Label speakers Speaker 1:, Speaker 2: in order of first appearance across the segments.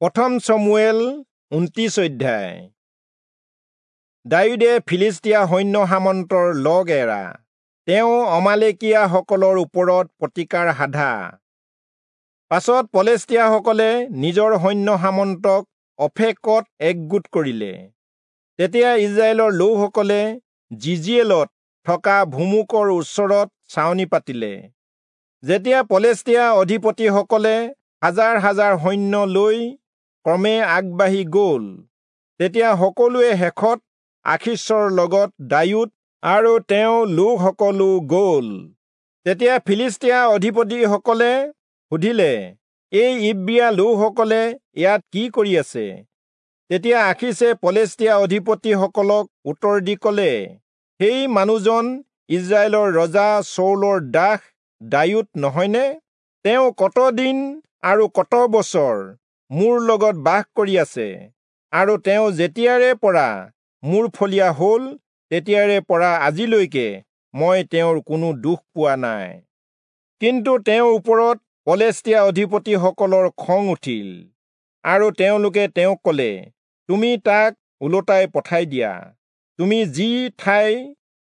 Speaker 1: প্ৰথম চমূৱেল 29 অধ্যায়। দায়ূদে ফিলিষ্টীয়া সৈন্য সামন্তৰ লগ এৰা, তেওঁ অমালেকীয়াসকলৰ ওপৰত প্ৰতিকাৰ সাধা। পাছত পলেষ্টীয়াসকলে নিজৰ সৈন্য সামন্তক অফেকত একগোট কৰিলে। তেতিয়া ইস্ৰায়েলৰ লোকসকলে যিজিয়েলত থকা ভুমুকৰ ওচৰত ছাউনি পাতিলে। যেতিয়া পলেষ্টীয়া অধিপতিসকলে হাজাৰ হাজাৰ সৈন্য লৈ ক্ৰমে আগবাঢ়ি গ'ল, তেতিয়া সকলোৱে শেষত আখীচৰ লগত দায়ূদ আৰু তেওঁ লোকসকলো গ'ল। তেতিয়া ফিলিষ্টীয়া অধিপতিসকলে সুধিলে, এই ইব্ৰীয়া লোকসকলে ইয়াত কি কৰি আছে? তেতিয়া আখীচে পলেষ্টীয়া অধিপতিসকলক উত্তৰ দি ক'লে, সেই মানুহজন ইস্ৰায়েলৰ ৰজা চৌলৰ দাস দায়ূদ নহয়নে? তেওঁ কত দিন আৰু কত বছৰ মোৰ লগত বাস কৰি আছে, আৰু তেওঁ যেতিয়াৰে পৰা মোৰ ফলীয়া হ'ল তেতিয়াৰে পৰা আজিলৈকে মই তেওঁৰ কোনো দোষ পোৱা নাই। কিন্তু তেওঁৰ ওপৰত পলেষ্টীয়া অধিপতিসকলৰ খং উঠিল, আৰু তেওঁলোকে তেওঁক ক'লে, তুমি তাক ওলোটাই পঠাই দিয়া। তুমি যি ঠাই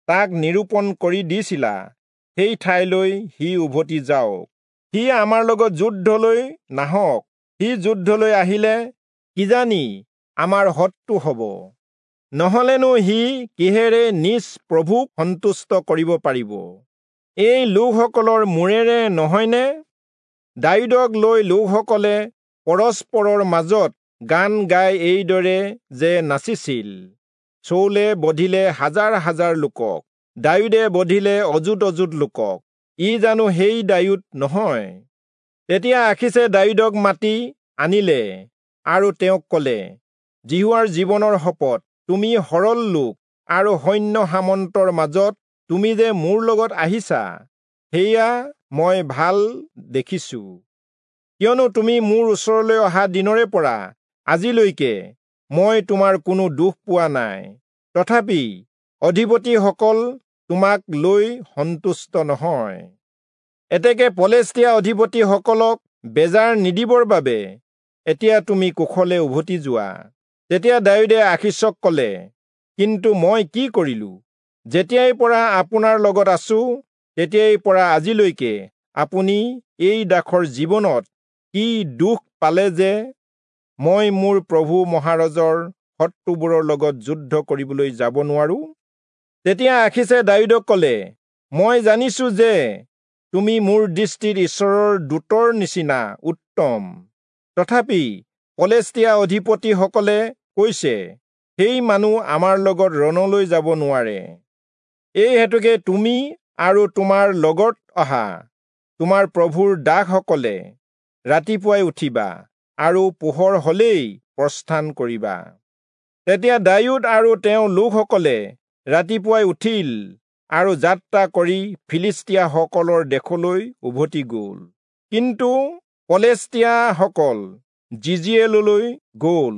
Speaker 1: তাক নিৰূপণ কৰি দিছিলা সেই ঠাইলৈ সি উভতি যাওক। সি আমাৰ লগত যুদ্ধলৈ নাহক। সি যুদ্ধলৈ আহিলে কিজানি আমাৰ শত্ৰু হ'ব, নহলেনো সি কিহেৰে নিজ প্ৰভুক সন্তুষ্ট কৰিব পাৰিব? এই লোকসকলৰ মূৰেৰে নহয়নে? দায়ূদক লৈ লোকসকলে পৰস্পৰৰ মাজত গান গাই এইদৰে যে নাচিছিল, চৌলে বধিলে হাজাৰ হাজাৰ লোকক, দায়ূদে বধিলে অযুত অযুত লোকক, ই জানো সেই দায়ূদ নহয়? তেতিয়া আখীচে দায়ূদক মাতি আনিলে আৰু তেওঁক ক'লে, যিহোৱাৰ জীৱনৰ শপত, তুমি সৰল লোক আৰু সৈন্য সামন্তৰ মাজত তুমি যে মোৰ লগত আহিছা সেয়া মই ভাল দেখিছো। কিয়নো তুমি মোৰ ওচৰলৈ অহা দিনৰে পৰা আজিলৈকে মই তোমাৰ কোনো দোষ পোৱা নাই, তথাপি অধিপতিসকল তোমাক লৈ সন্তুষ্ট নহয়। এতেকে পলেষ্টীয়া অধিপতিসকলক বেজাৰ নিদিবৰ বাবে এতিয়া তুমি কুশলে উভতি যোৱা। তেতিয়া দায়ূদে আখীচক ক'লে, কিন্তু মই কি কৰিলো? যেতিয়াই পৰা আপোনাৰ লগত আছো তেতিয়াই পৰা আজিলৈকে আপুনি এই দাসৰ জীৱনত কি দুখ পালে যে মই মোৰ প্ৰভু মহাৰাজৰ শত্ৰুবোৰৰ লগত যুদ্ধ কৰিবলৈ যাব নোৱাৰো? তেতিয়া আখীচে দায়ূদক ক'লে, মই জানিছো যে তুমি মোৰ দৃষ্টিত ঈশ্বৰৰ দূতৰ নিচিনা উত্তম, তথাপি পলেষ্টীয়া অধিপতিসকলে কৈছে, সেই মানুহ আমাৰ লগত ৰণলৈ যাব নোৱাৰে। এই হেতুকে তুমি আৰু তোমাৰ লগত অহা তোমাৰ প্ৰভুৰ দাসসকলে ৰাতিপুৱাই উঠিবা আৰু পোহৰ হলেই প্ৰস্থান কৰিবা। তেতিয়া দায়ূদ আৰু তেওঁ লোকসকলে ৰাতিপুৱাই উঠিল আৰু যাত্ৰা কৰি ফিলিষ্টীয়াসকলৰ দেশলৈ উভতি গ'ল। কিন্তু পলেষ্টীয়াসকল যিজিয়েললৈ গ'ল।